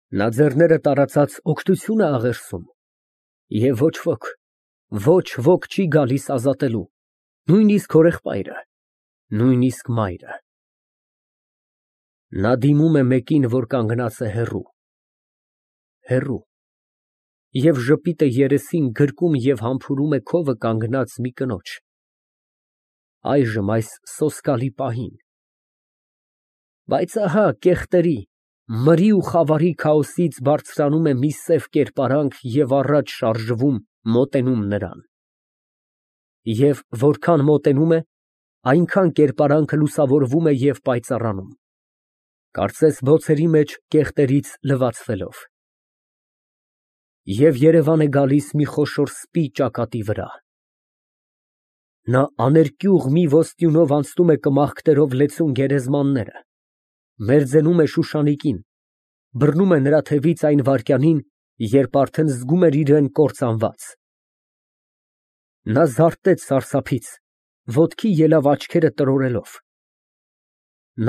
Նա ձեռները տարածած օգնություն է աղերսում, և ոչ ոք չի գալիս ազատելու, նույնիսկ հորեղբայրը, նույնիսկ մայրը։ Նա դիմում է մեկին, որ կանգնած է հեռու, և ժպիտը երեսին գրկում և համբուրում է քովը կանգնած մի կնոջ, այժմ այս սոսկալի պահին։ Բայց ահա կեղտերի, մրի ու խավարի քաոսից բարձրանում է մի սև կերպարանք և առաջ շարժվում, մոտենում նրան։ Եվ որքան մոտենում է, այնքան կերպարանքը լուսավորվում է և պայծառանում, կարծես բոցերի մեջ կեղտերից լվացվելով։ Եվ երևան է գալիս մի խոշոր սպի ճակատի վրա։ Նա աներկյուղ մի ոսტյունով անցնում է կմախքտերով լեցուն գերեզմանները, մերձենում է Շուշանիկին, բռնում է նրա թևից այն վայրկյանին, երբ արդեն զգում էր իրան կործանված։ Նա զարթեց սարսափից, ոտքի ելավ աչքերը տրորելով։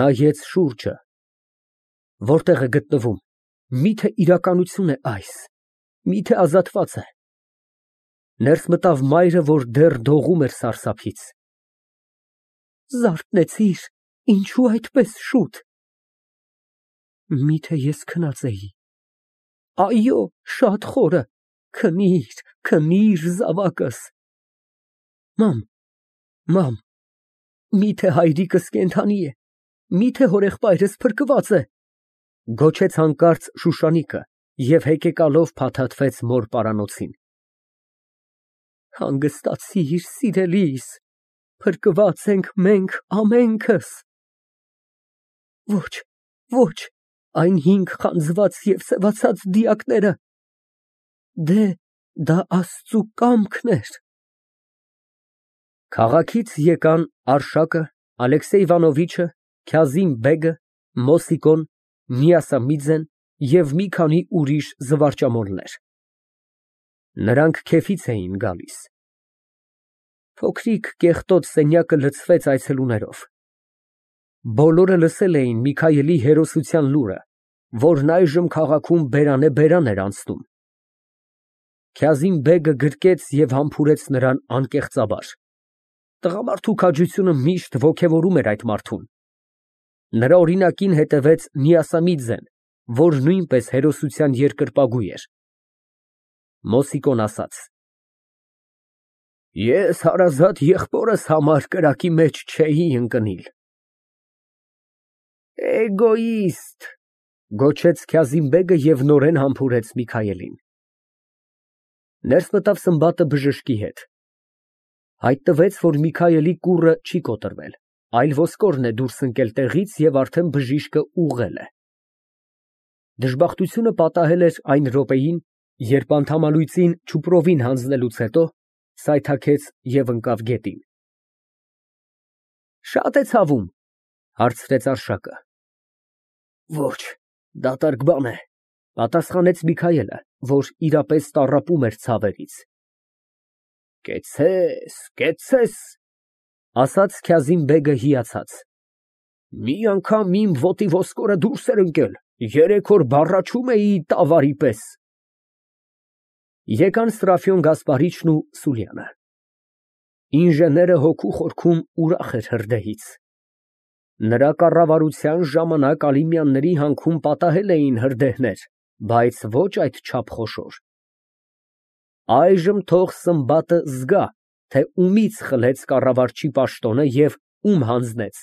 Նայեց շուրջը։ Որտե՞ղ է գտնվում, մի՞թե իրականություն է այս, մի՞թե ազատված է։ Ներս մտավ մայրը, որ դեռ դողում էր սարսափից։ Զարթնեցի՞ր, ինչո՞ւ այդպես շուտ։ Մի՞թե ես քնած էի։ Այո, շատ խորը, քնիր, զավակս։ Մամ, մի՞թե հայրիկս կենդանի է, մի՞թե հորեղբայրս փրկված է, գոչեց հանկարծ Շուշանիկը և հեկեկալով փաթաթվեց մոր պարանոցին։ Հանգստացիր, սիրելիս, փրկված ենք մենք ամենքս։ Ոչ, այն 5 խանձված և սևացած դիակները, դա Աստծու կամքն էր։ Քաղաքից եկան Արշակը, Ալեքսեյ Իվանովիչը, Քազիմ֊բեգը, Մոսիկոն, Միասամիձեն և մի քանի ուրիշ զվարճամոլներ։ Նրանք քեֆից էին գալիս։ Փոքրիկ կեղտոտ սենյակը լցվեց այցելուներով։ Բոլորը լսել էին Միքայելի հերոսության լուրը, որն այժմ քաղաքում բերանե֊բերան էր անցնում։ Քազիմ֊բեգը գրկեց և համբուրեց նրան անկեղծաբար։ Տղամարդու քաջությունը միշտ ոգևորում էր այդ մարդուն։ Նրա օրինակին հետևեց Միասամիձեն, որ նույնպես հերոսության երկրպագու էր։ Մոսիկոն ասաց. Ես հարազատ եղբորս համար կրակի մեջ չէի ընկնիլ։ Էգոիստ, գոչեց Քազիմ֊բեգը և նորեն համբուրեց Միքայելին։ Ներս մտավ Սմբատը բժշկի հետ։ Հայտնվեց, որ Միքայելի կուռը չի կոտրվել, այլ ոսկորն է դուրս ընկել տեղից և արդեն բժիշկը ուղղել է։ Դժբախտությունը պատահել էր այն րոպեին, երբ անդամալույծին չուպրովին հանձնելուց հետո սայթաքեց և ընկավ գետին։ Շա՞տ է ցավում, հարցրեց Արշակը։ Ոչ, դատարկ բան է, պատասխանեց Միքայելը, որ իրապես տառապում էր ցավերից։ Կեցցես, ասաց Քազիմ֊բեգը հիացած։ Մի անգամ իմ ոտի ոսկորը դուրս էր ընկել, 3 օր բառաչում էի տավարի պես։ Եկան Սրափիոն Գասպարիչն ու Սուլյանը։ Ինժեները հոգու խորքում ուրախ էր հրդեհից։ Նրա կառավարության ժամանակ Ալիմյանների հանքում պատահել էին հրդեհներ, բայց ոչ այդչափ խոշոր։ Այժմ թող Սմբատը զգա, թե ումից խլեց կառավարչի պաշտոնը և ում հանձնեց։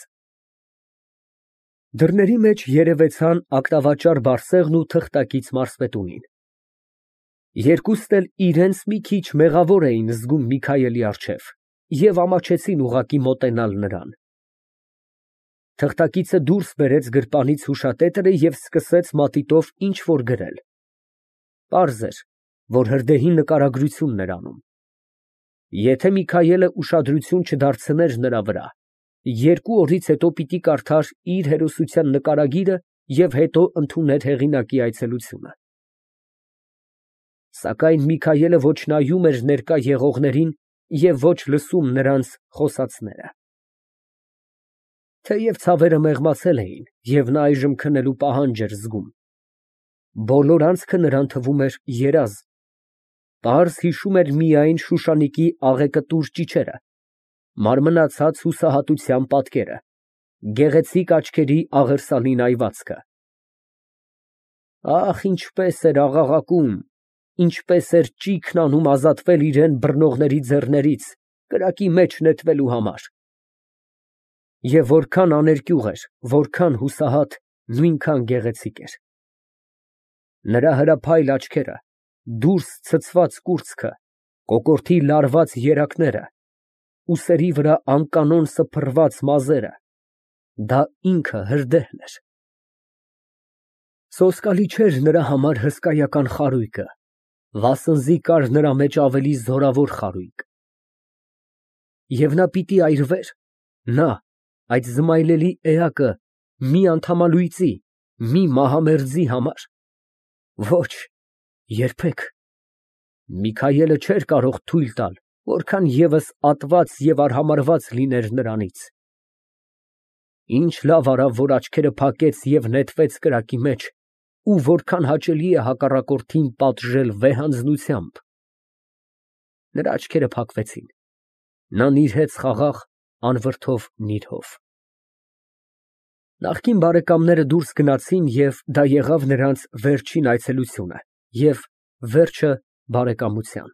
Դռների մեջ երևեցան ակնավաճառ Բարսեղն ու թղթակից մարզպետունին։ Երկուսն էլ իրենց մի քիչ մեղավոր էին զգում Միքայելի առջև և ամաչեցին ուղղակի մոտենալ նրան։ Թղթակիցը դուրս բերեց գրպանից հուշատետրը և սկսեց մատիտով ինչ֊որ գրել։ Պարզ էր, որ հրդեհի նկարագրությունն էր անում։ Եթե Միքայելը ուշադրություն չդարձներ նրա վրա, 2 օրից հետո պիտի կարդար իր հերոսության նկարագիրը և հետո ընդուներ հեղինակի այցելությունը։ Սակայն Միքայելը ոչ նայում էր ներկա եղողներին և ոչ լսում նրանց խոսածները։ Թեև ցավերը մեղմացել էին, և նա այժմ քնելու պահանջ էր զգում, Բոլոր անցքը նրան թվում էր երազ, պարզ հիշում էր միայն Շուշանիկի աղեկտուր ճիչերը, մարմնացած հուսահատության պատկերը, գեղեցիկ աչքերի աղերսալի նայվածքը։ Ահ, ինչպես էր աղաղակում, ինչպես էր ճիգն անում ազատվել իրան բռնողների ձեռներից, կրակի մեջ նետվելու համար։ Եվ որքան աներկյուղ էր, որքան հուսահատ, նույնքան գեղեցիկ էր։ Նրա հրափայլ աչքերը, դուրս ցցված կուրծքը, կոկորդի լարված երակները, ուսերի վրա անկանոն սփռված մազերը, դա ինքը հրդեհն էր։ Սոսկալի չէր նրա համար հսկայական խարույկը, վասնզի կար նրա մեջ ավելի զորավոր խարույկ։ Եվ նա պիտի այրվեր, նա, այդ զմայլելի էակը, մի անդամալույծի, մի մահամերձի համար։ Ոչ, երբեք։ Միքայելը չէր կարող թույլ տալ, որքան ևս ատված և արհամարհված լիներ նրանից։ Ինչ լավ արավ, որ աչքերը փակեց և նետվեց կրակի մեջ, ու որքան հաճելի է հակառակորդին պատժել վեհանձնությամբ։ Նրա աչքերը փակվեցին, նա նիրհեց խաղաղ, անվրդով նիրհով։ Նախկին բարեկամները դուրս գնացին, և դա եղավ նրանց վերջին այցելությունը և վերջը բարեկամության։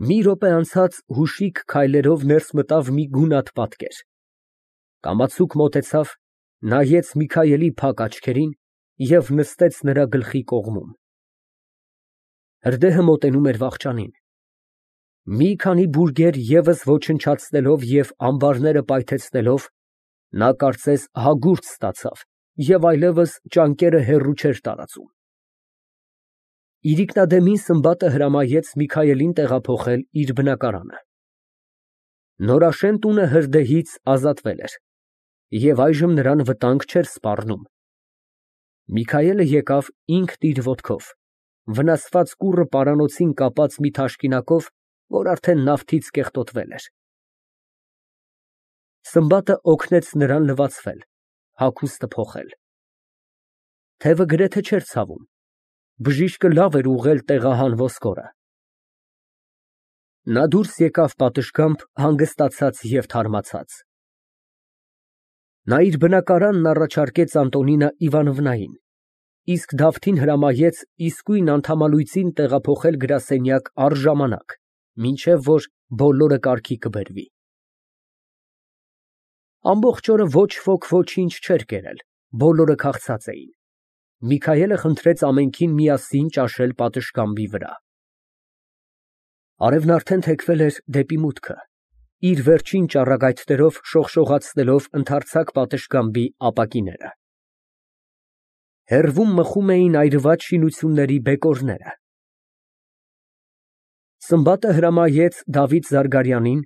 Մի րոպե անցած հուշիկ քայլերով ներս մտավ մի գունատ պատկեր, կամացուկ մոտեցավ, նայեց Միքայելի փակ աչքերին և նստեց նրա գլխի կողմում։ Հրդեհը մոտենում էր վախճանին։ Մի քանի բուրգեր ևս ոչնչացնելով և ամբարները պայթեցնելով, նա կարծես հագուրդ ստացավ և այլևս ճանկերը հեռու չէր տարածում։ Իրիկնադեմին Սմբատը հրամայեց Միքայելին տեղափոխել իր բնակարանը։ Նորաշեն տունը հրդեհից ազատվել էր, և այժմ նրան վտանգ չէր սպառնում։ Միքայելը եկավ ինքն իր ոտքով, վնասված կուռը պարանոցին կապած մի թաշկինակով, որ արդեն նավթից կեղտոտվել էր։ Սմբատը օգնեց նրան լվացվել, հագուստը փոխել։ Թևը գրեթե չէր ցավում, բժիշկը լավ էր ուղղել տեղահան ոսկորը։ Նա դուրս եկավ պատշգամբ հանգստացած և թարմացած։ Նա իր բնակարանն առաջարկեց Անտոնինա Իվանովնային, իսկ Դավթին հրամայեց իսկույն անդամալույծին տեղափոխել գրասենյակ առժամանակ, մինչև որ բոլորը կարգի կբերվի։ Ամբողջ օրը ոչ ոք ոչինչ չէր կերել, բոլորը քաղցած էին։ Միքայելը խնդրեց ամենքին միասին ճաշել պատշգամբի վրա։ Արևն արդեն թեքվել էր դեպի մուտքը, իր վերջին ճառագայթներով շողշողացնելով ընդարձակ պատշգամբի ապակիները։ Հեռվում մխում էին այրված շինությունների բեկորները։ Սմբատը հրամայեց Դավիթ Զարգարյանին,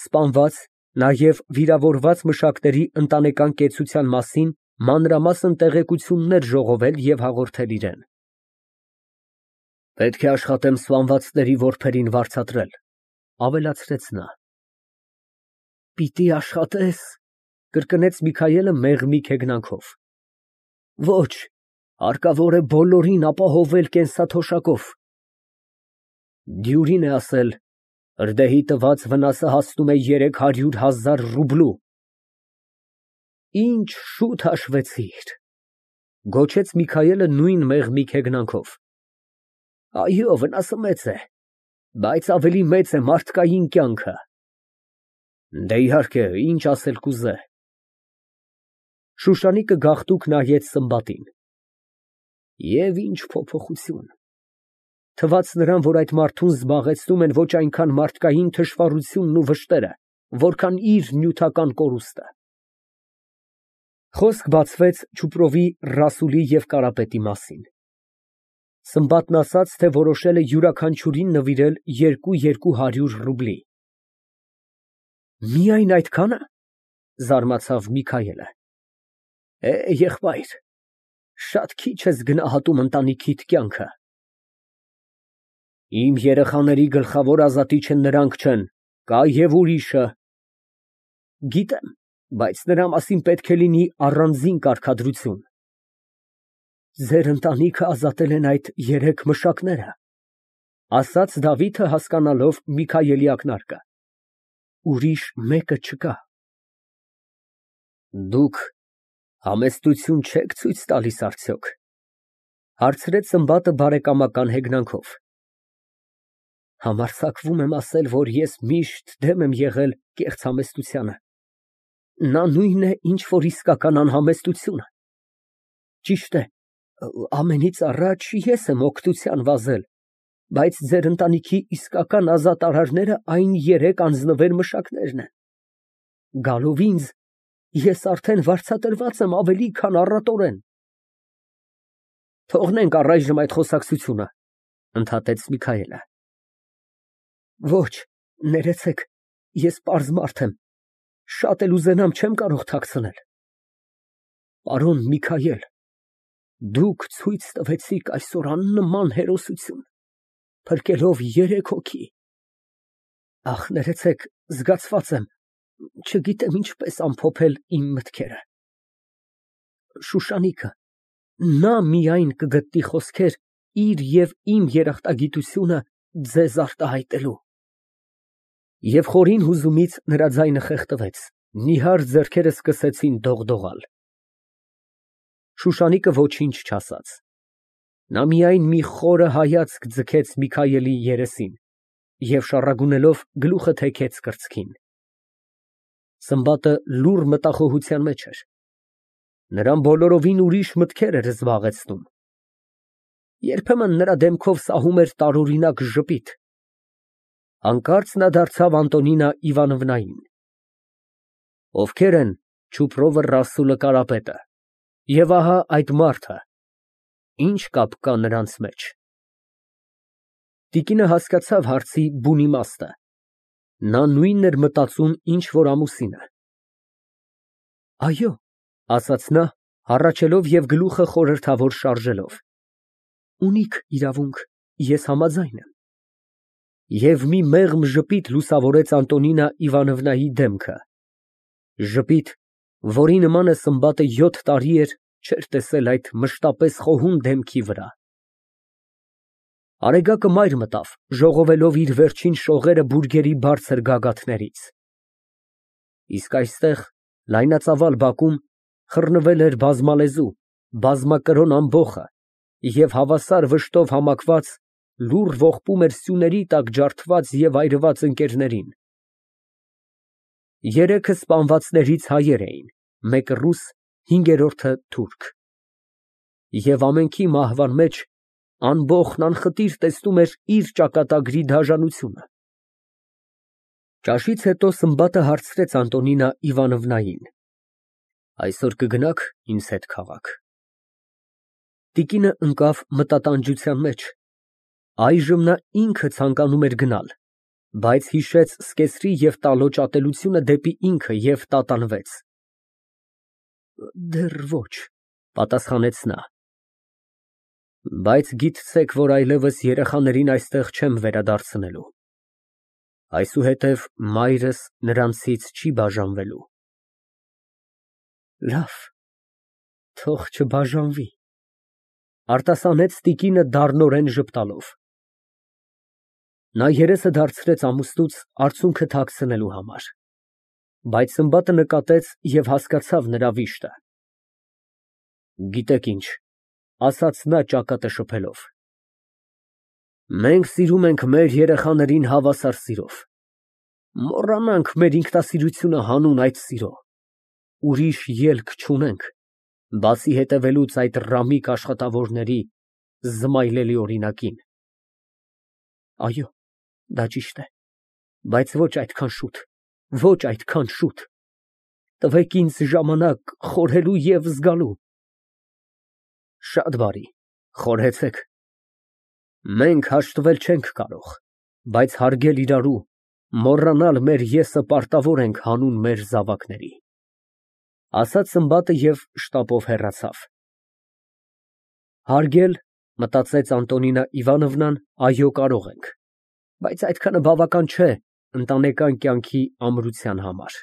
սպանված, նաև վիրավորված մշակների ընտանեկան կեցության մասին մանրամասն տեղեկություններ ժողովել և հաղորդել իրան։ Պետք է աշխատեմ սպանվածների որբերին վարձատրել, ավելացրեց նա։ Պիտի աշխատես, կրկնեց Միքայելը մեղմիկ հեգնանքով։ Ոչ, հարկավոր է բոլորին ապահովել կենսաթոշակով։ Դյուրին է ասել, հրդեհի տված վնասը հասնում է 300,000 ռուբլու։ Ինչ շուտ հաշվեցիր, գոչեց Միքայելը նույն մեղմիկ հեգնանքով։ Այո, վնասը մեծ է, բայց ավելի մեծ է մարդկային կյանքը։ Դե իհարկե, ինչ ասել կուզե։ Շուշանիկը գաղտուկ նայեց Սմբատին։ Եվ ինչ փոփոխություն։ Թվաց նրան, որ այդ մարդուն զբաղեցնում են ոչ այնքան մարդկային թշվառությունն ու վշտերը, որքան իր նյութական կորուստը։ Խոսք բացվեց Չուպրովի, Ռասուլի և Կարապետի մասին։ Սմբատն ասաց, թե որոշել է յուրաքանչյուրին նվիրել 200 ռուբլի։ Միայն այդքա՞նը, զարմացավ Միքայելը։ Եղբայր, շատ քիչ ես գնահատում ընտանիքիդ կյանքը։ Իմ երեխաների գլխավոր ազատիչը նրանք չեն, կա և ուրիշը։ Գիտեմ, բայց նրա մասին պետք է լինի առանձին կարգադրություն։ Ձեր ընտանիքը ազատել են այդ երեք մշակները, ասաց Դավիթը հասկանալով Միքայելի ակնարկը։ Ուրիշ մեկը չկա։ Դուք համեստություն չեք ցույց տալիս արդյոք, հարցրեց Սմբատը բարեկամական հեգնանքով։ Համարձակվում եմ ասել, որ ես միշտ դեմ եմ եղել կեղծ համեստությանը։ Նա նույնն է, ինչ որ իսկական անհամեստությունը։ Ճիշտ է, ամենից առաջ ես եմ օգնության վազել, բայց ձեր ընտանիքի իսկական ազատ արարները այն երեք անձնվեր մշակներն են։ Գալով ինձ, ես արդեն վարձատրված եմ ավելի, քան առատորեն։ Թողնենք առայժմ այդ խոսակցությունը, ընդհատեց Միքայելը։ Ոչ, ներեցեք, ես պարզ մարդ եմ, շատ էլ ուզենամ չեմ կարող թաքցնել։ Պարոն Միքայել, դուք ցույց տվեցիք այսօր աննման հերոսություն, փրկելով երեք հոգի։ Ախ, ներեցեք, զգացված եմ, չգիտեմ ինչպես ամփոփել իմ մտքերը։ Շուշանիկը, նա միայն կգտնի խոսքեր իր և իմ երախտագիտությունը ձեզ արտահայտելու։ Եվ խորին հուզումից նրա ձայնը խեղդվեց, նիհար ձեռքերը սկսեցին դողդողալ։ Շուշանիկը ոչինչ չասաց։ Նա միայն մի խորը հայացք ձգեց Միքայելի երեսին և շառագունելով գլուխը թեքեց կրծքին։ Սմբատը լուռ մտախոհության մեջ էր։ Նրան բոլորովին ուրիշ մտքեր էր զբաղեցնում։ Երբեմն նրա դեմքով սահում էր տարօրինակ ժպիտ։ Հանկարծ նա դարձավ Անտոնինա Իվանովնային։ Ովքեր են Չուպրովը, Ռասուլը, Կարապետը, և ահա այդ մարդը, ինչ կապ կա նրանց մեջ։ Տիկինը հասկացավ հարցի բուն իմաստը։ Նա նույնն էր մտածում, ինչ որ ամուսինը։ Այո, ասաց նա, հառաչելով և գլուխը խորհրդավոր շարժելով։ Ունիք իրավունք, ես համաձայն եմ։ Եվ մի մեղմ ժպիտ լուսավորեց Անտոնինա Իվանովնայի դեմքը։ Ժպիտ, որի նմանը Սմբատը 7 տարի էր չէր տեսել այդ մշտապես խոհուն դեմքի վրա։ Արեգակը մայր մտավ, ժողովելով իր վերջին շողերը բուրգերի բարձր գագաթներից։ Իսկ այստեղ, լայնածավալ բակում, խռնվել էր բազմալեզու, բազմակրոն ամբոխը և հավասար վշտով համակված լուռ ողբում էր սյուների տակ ջարդված և այրված ընկերներին։ Երեքը սպանվածներից հայեր էին, մեկը ռուս, հինգերորդը թուրք։ Եվ ամենքի մահվան մեջ ամբոխն անխտիր տեսնում էր իր ճակատագրի դաժանությունը։ Ճաշից հետո Սմբատը հարցրեց Անտոնինա Իվանովնային. Այսօր կգնա՞ք ինձ հետ քաղաք։ Տիկինը ընկավ մտատանջության մեջ։ Այժմ նա ինքը ցանկանում էր գնալ, բայց հիշեց սկեսրի և տալոճ ատելությունը դեպի ինքը և տատանվեց։ Դեռ ոչ, պատասխանեց նա։ Բայց գիտցեք, որ այլևս երեխաներին այստեղ չեմ վերադարձնելու։ Այսուհետև մայրս նրանցից չի բաժանվելու։ Լավ, թող չբաժանվի, արտասանեց տիկինը դառնորեն ժպտալով։ Նա երեսը դարձրեց ամուսնուց արցունքը թաքցնելու համար, բայց Սմբատը նկատեց և հասկացավ նրա վիշտը։ Գիտեք ինչ, ասաց նա ճակատը շփելով, մենք սիրում ենք մեր երեխաներին հավասար սիրով, մոռանանք մեր ինքնասիրությունը հանուն այդ սիրո, ուրիշ ելք չունենք, բացի հետևելուց այդ ռամիկ աշխատավորների զմայլելի օրինակին։ Այո, դա ճիշտ է, բայց ոչ այդքան շուտ, ոչ այդքան շուտ, տվեք ինձ ժամանակ խորհելու և զգալու։ Շատ բարի, խորհեցեք։ Մենք հաշտվել չենք կարող, բայց հարգել իրարու, մոռանալ մեր եսը պարտավոր ենք հանուն մեր զավակների, ասաց Սմբատը և շտապով հեռացավ։ Հարգել, մտածեց Անտոնինա Իվանովնան, այո, կարող ենք, բայց այդքանը բավական չէ ընտանեկան կյանքի ամրության համար։